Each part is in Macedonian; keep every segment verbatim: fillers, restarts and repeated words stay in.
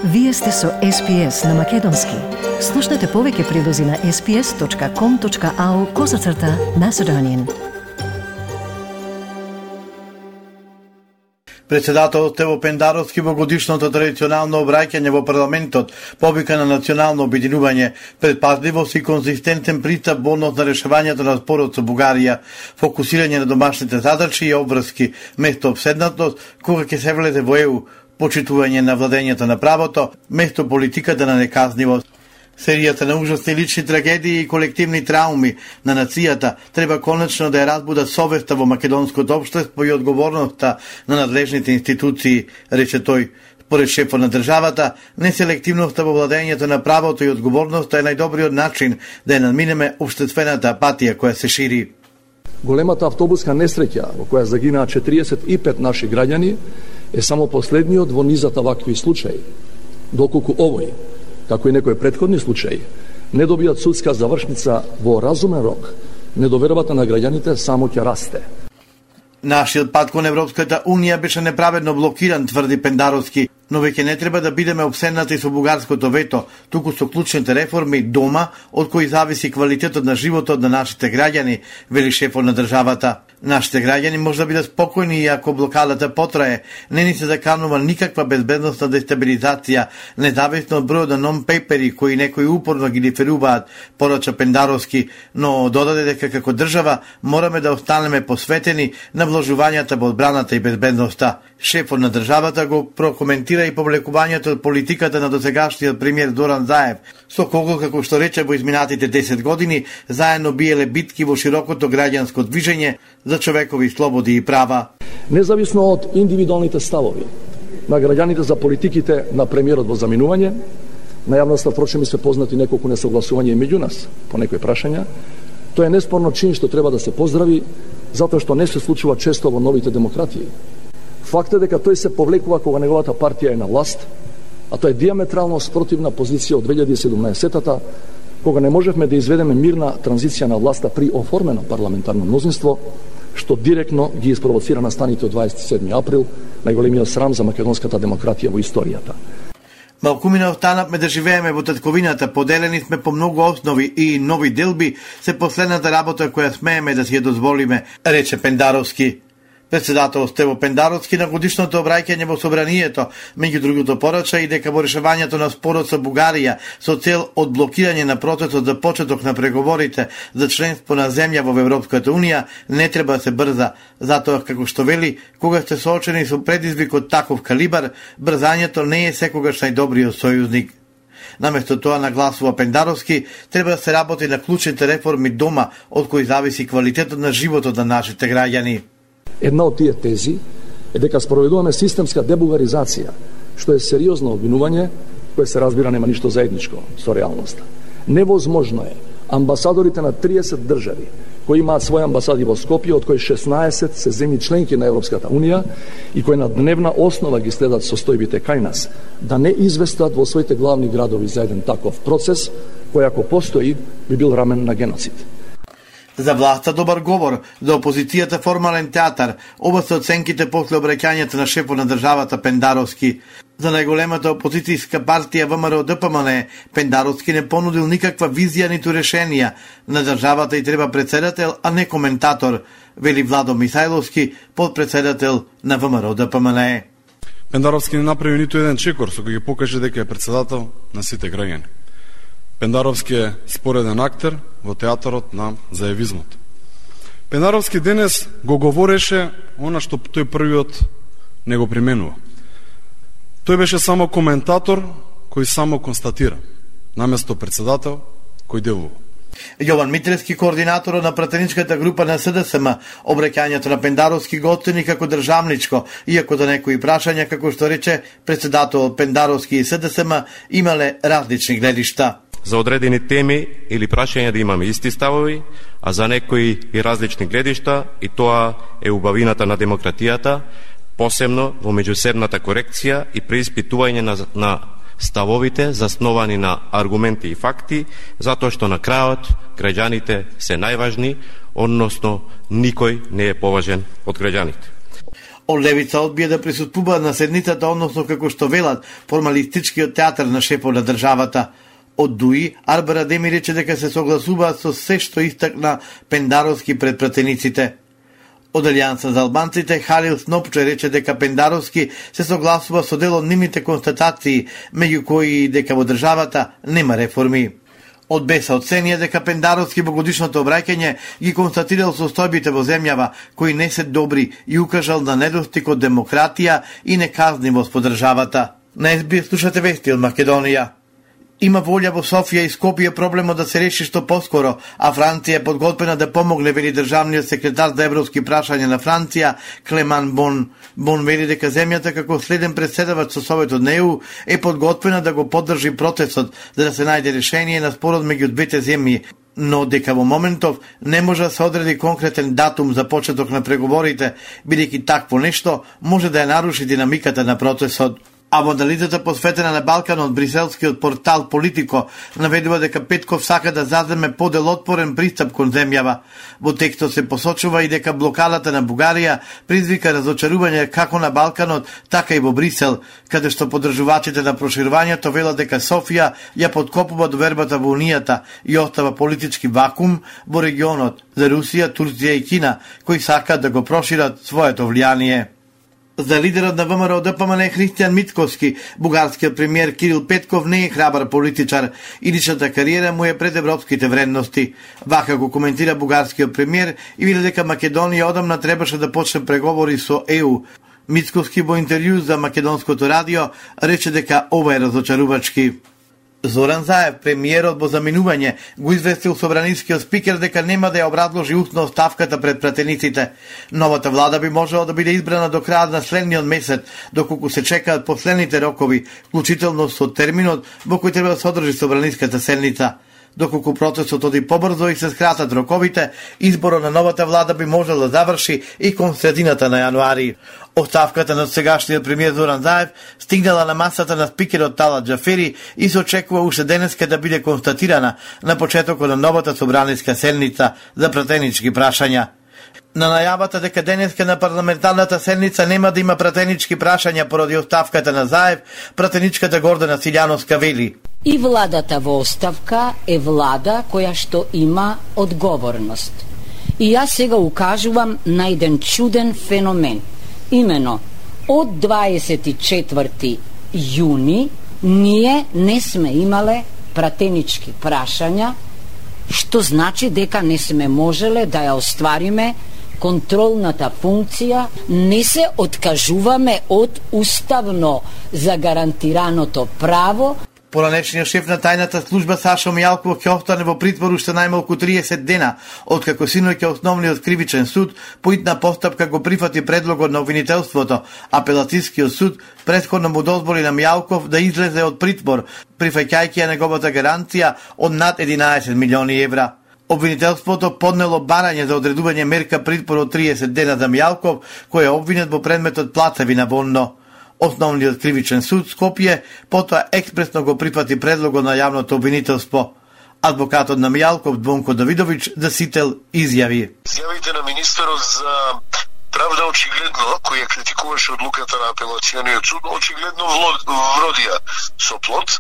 Вие сте со Ес Пи Ес на Македонски. Слушнете повеќе прилози на ес пи ес точка ком точка ау козацрта Macedonian. Председателот Стево Пендаровски во годишното традиционално обраќање во парламентот повика на национално обединување, предпазливост и конзистентен пристап во однос на решавањето на спорот со Бугарија, фокусирање на домашните задачи и обврски, место обседнатост кога ќе се влезе во Е У, почитување на владењето на правото, место политиката на неказнивост. Серијата на ужасни лични трагедии и колективни трауми на нацијата треба конечно да ја разбуда совеста во македонското општество и одговорноста на надлежните институции, рече тој. Според шефот на државата, неселективноста во владењето на правото и одговорноста е најдобриот начин да ја надминеме општествената апатија која се шири. Големата автобуска несреќа во која загинаа четириесет и пет наши граѓани е само последниот во низата вакви случаи. Доколку овој, како и некои претходни случаи, не добијат судска завршница во разумен рок, недовербата на граѓаните само ќе расте. Нашиот пат кон Европската Унија беше неправедно блокиран, тврди Пендаровски, но веќе не треба да бидеме обседнати со бугарското вето, туку со клучните реформи дома, од кои зависи квалитетот на животот на нашите граѓани, вели шефот на државата. Нашите граѓани може да бидат спокојни и ако блокадата потрае, не ни се заканува никаква безбедностна дестабилизација, независно од бројот на нон-пейпери кои некои упорно ги диферуваат, порача Пендаровски, но додаде дека како држава мораме да останеме посветени на вложувањата во одбраната и безбедноста. Шефот на државата го прокоментира и повлекувањето од политиката на досегашниот премиер Зоран Заев, со кого, како што рече, во изминатите десет години заедно биеле битки во широкото граѓанско движење за човекови слободи и права. Независно од индивидуалните ставови на граѓаните за политиките на премиерот во заминување, на јавноста впрочем се познати неколку несогласувања и меѓу нас по некои прашања, тоа е неспорно чин што треба да се поздрави, затоа што не се случува често во новите демократии. Факт е дека тој се повлекува кога неговата партија е на власт, а тоа е диаметрално спротивна позиција од две илјади и седумнаесетата, кога не можевме да изведеме мирна транзиција на власта при оформено парламентарно мнозинство, што директно ги испровоцира настаните од дваесет и седми април, најголемиот срам за македонската демократија во историјата. Малкумина останавме да живееме во татковината, поделени сме по многу основи и нови делби се последната работа која смееме да си ја дозволиме, рече Пендаровски. Председател Стево Пендаровски на годишното обраќање во Собранието, меѓу другото порача и дека во решавањето на спорот со Бугарија со цел одблокирање на процесот за почеток на преговорите за членство на земја во Европската Унија не треба да се брза, затоа како што вели, кога сте соочени со предизвик од таков калибар, брзањето не е секогаш најдобриот сојузник. Наместо тоа, нагласува Пендаровски, треба да се работи на клучните реформи дома, од кои зависи квалитетот на животот на нашите граѓани. Една од тие тези е дека спроведуваме системска дебулгаризација, што е сериозно обвинување, кое се разбира нема ништо заедничко со реалноста. Невозможно е амбасадорите на триесет држави, кои имаат своји амбасади во Скопје, од кои шеснаесет се земји членки на Европската Унија и кои на дневна основа ги следат состојбите кај нас, да не известат во своите главни градови за еден таков процес, кој ако постои би бил рамен на геноцид. За власта добар говор, за опозицијата формален театар, оба се оценките после обраќањето на шефот на државата Пендаровски. За најголемата опозицијска партија Вэ Ем Ар О Д П М Н Пендаровски не понудил никаква визија ниту решенија. На државата и треба председател, а не коментатор, вели Владо Михајловски, подпредседател на Вэ Ем Ар О Д П М Н. Пендаровски не направи ниту еден чекор со кој ги покаже дека е председател на сите граѓани. Пендаровски е спореден актер во театарот на заевизмот. Пендаровски денес го говореше она што тој првиот не го применува. Тој беше само коментатор кој само констатира, наместо председател кој делува. Јован Митревски, координатор на пратеничката група на С Д С М, обраќањето на Пендаровски го оцени како државничко, иако за некои прашања, како што рече, председател Пендаровски и С Д С М имале различни гледишта. За одредени теми или прашања да имаме исти ставови, а за некои и различни гледишта, и тоа е убавината на демократијата, посебно во меѓусебната корекција и преиспитување на, на ставовите засновани на аргументи и факти, затоа што на крајот граѓаните се најважни, односно никој не е поважен од граѓаните. Од левица одбија да присуствуваат на седницата, односно како што велат формалистичкиот театар на шефот на државата. Од ДУИ, Арбер Адеми рече дека се согласуваат со се што истакна Пендаровски пред пратениците. Од Алијанса за албанците, Халил Снопче рече дека Пендаровски се согласува со дел од нивните констатации, меѓу кои дека во државата нема реформи. Од Беса оценија дека Пендаровски во годишното обраќање ги констатирал состојбите во земјава кои не се добри и укажал на недостиг од демократија и неказнивост по државата. На Ес Би Ес слушате вести од Македонија. Има волја во Софија и Скопје проблемот да се реши што поскоро, а Франција е подготвена да помогне, вели државниот секретар за европски прашања на Франција, Клеман Бон. Бон вели дека земјата како следен председавач со Советот на Е У е подготвена да го поддржи процесот за да се најде решение на спорот меѓу двете земји, но дека во моментов не може да се одреди конкретен датум за почеток на преговорите, бидејќи такво нешто може да ја наруши динамиката на процесот. А во анализата посветена на Балканот, бриселскиот портал Политико наведува дека Петков сака да заземе поделотворен пристап кон земјава. Во текстот се посочува и дека блокадата на Бугарија предизвика разочарување како на Балканот, така и во Брисел, каде што поддржувачите на проширувањето велат дека Софија ја подкопува довербата во Унијата и остава политички вакуум во регионот за Русија, Турција и Кина, кои сакаат да го прошират своето влијание. За лидерот на ВМРО Д П М Н Христијан Мицкоски, бугарскиот премиер Кирил Петков не е храбар политичар и личната кариера му е пред европските вредности. Вака го коментира бугарскиот премиер и вели дека Македонија одамна требаше да почне преговори со Е У. Мицкоски во интервју за македонското радио рече дека ова е разочарувачки. Зоран Заев, премиерот во заминување, го известил собранискиот спикер дека нема да ја образложи устно оставката пред пратениците. Новата влада би можела да биде избрана до крајот на следниот месец, доколку се чекаат последните рокови, вклучително со терминот во кој треба да се одржи собраниската седница. Доколку процесот оди побрзо и се скратат роковите, изборот на новата влада би можел да заврши и кон средината на јануари. Оставката на сегашниот премиер Зоран Заев стигнала на масата на спикерот Талат Џафери и се очекува уште денеска да биде констатирана на почетокот на новата собраниска седница за пратенички прашања. На најавата дека денеска на парламентарната седница нема да има пратенички прашања поради оставката на Заев, пратеничката Гордана Силјановска вели: И владата во оставка е влада која што има одговорност. И јас сега укажувам на еден чуден феномен. Имено, од дваесет и четврти јуни ние не сме имале пратенички прашања, што значи дека не сме можеле да ја оствариме контролната функција, не се откажуваме од уставно загарантираното право. Поранешниот шеф на тајната служба Сашо Мијалков ќе остане во притвор уште најмалку триесет дена, откако синоќа основниот кривичен суд по итна постапка го прифати предлогот на обвинителството. Апелацискиот суд претходно му дозволи на Мијалков да излезе од притвор, прифаќајќи ја неговата гаранција од над единаесет милиони евра. Обвинителството поднело барање за одредување мерка притвор од триесет дена за Мијалков, кој е обвинет во предметот плацеви Вонно. Основниот кривичен суд Скопје потоа експресно го прифати предлогот на јавното обвинителство. Адвокатот на Мијалков Двонко Давидовиќ да сител изјави: Изјавите на министерот за правда очигледно, кој ја критикуваше одлуката на апелациониот суд, очигледно вродија со плод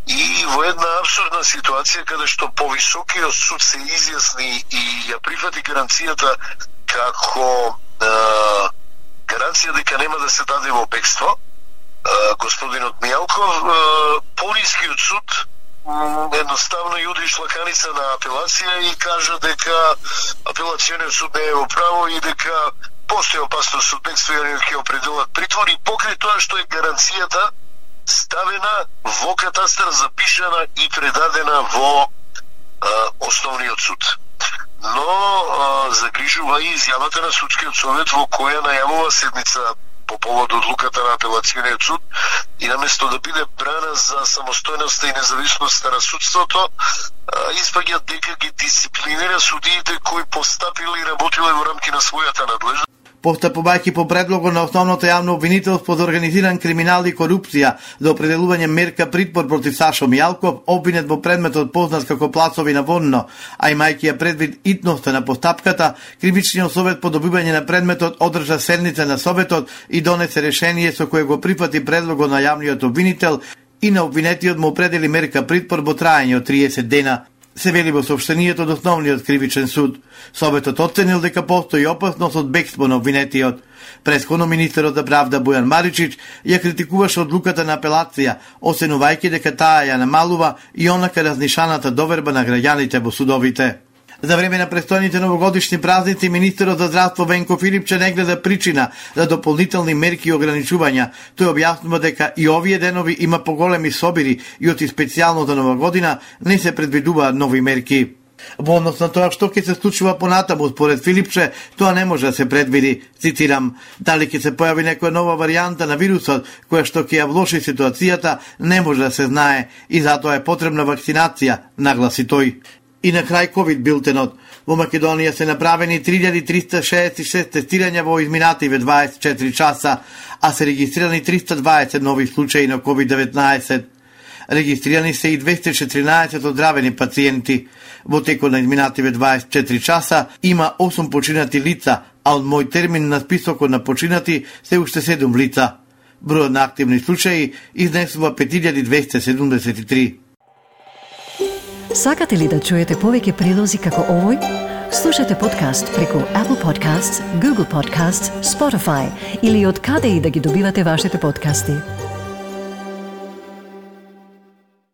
и во една абсурдна ситуација каде што повисокиот суд се изјасни и ја прифати гаранцијата како е, гаранција дека нема да се даде во бегство господинот Мијалков, понискиот суд едноставно јуди шлаканица на апелација и кажа дека апелациониот суд не е во право и дека постои опасност од бегство и ќе определат притвор и покрај тоа што е гаранцијата ставена во катастар, запишана и предадена во а, основниот суд. Но а, загрижува и изјавата на судскиот совет во која најавува седница по повод одлуката на апелациониот суд и наместо да биде брана за самостојноста и независноста на судството, испаѓа дека ги дисциплинира судиите кои постапили и работиле во рамки на својата надлежност. постапувајќи по предлого на основното јавно обвинителство за организиран криминал и корупција за определување мерка притвор против Сашо Мијалков, обвинет во предметот познат како Плацови на Вонно, а имајќи ја предвид итноста на постапката, Кривичниот совет по добивање на предметот одржа седница на советот и донесе решение со кое го прифати предлогот на јавниот обвинител и на обвинетиот му определи мерка притвор во траење од триесет дена. Се вели во соопштенијето од основниот кривичен суд. Советот оценил дека постои опасност од бегство на обвинетиот. Претходно министерот за правда Бојан Маричич ја критикуваше одлуката на апелација, оценувајќи дека таа ја намалува и онака разнишаната доверба на граѓаните во судовите. За време на престојните новогодишни празници, министерот за здравство Венко Филипче не гледа причина за дополнителни мерки и ограничувања. Тој објаснува дека и овие денови има поголеми собири и оти специјално за нова година не се предвидуваат нови мерки. Во однос на тоа што ќе се случува понатаму, според Филипче, тоа не може да се предвиди. Цитирам: дали ќе се појави некоја нова варијанта на вирусот, која што ќе ја влоши ситуацијата, не може да се знае и затоа е потребна вакцинација, нагласи тој. И на крај ковид билтенот. Во Македонија се направени три илјади триста шеесет и шест тестирања во изминативе дваесет и четири часа, а се регистрирани триста дваесет нови случаи на ковид деветнаесет. Регистрирани се и двесте и четиринаесет оздравени пациенти. Во текот на изминативе дваесет и четири часа има осум починати лица, а од мој термин на списокот на починати се уште седум лица. Бројот на активни случаи изнесува пет илјади двесте седумдесет и три. Сакате ли да чуете повеќе прилози како овој? Слушате подкаст преку Apple Podcasts, Google Podcasts, Spotify или од каде и да ги добивате вашите подкасти.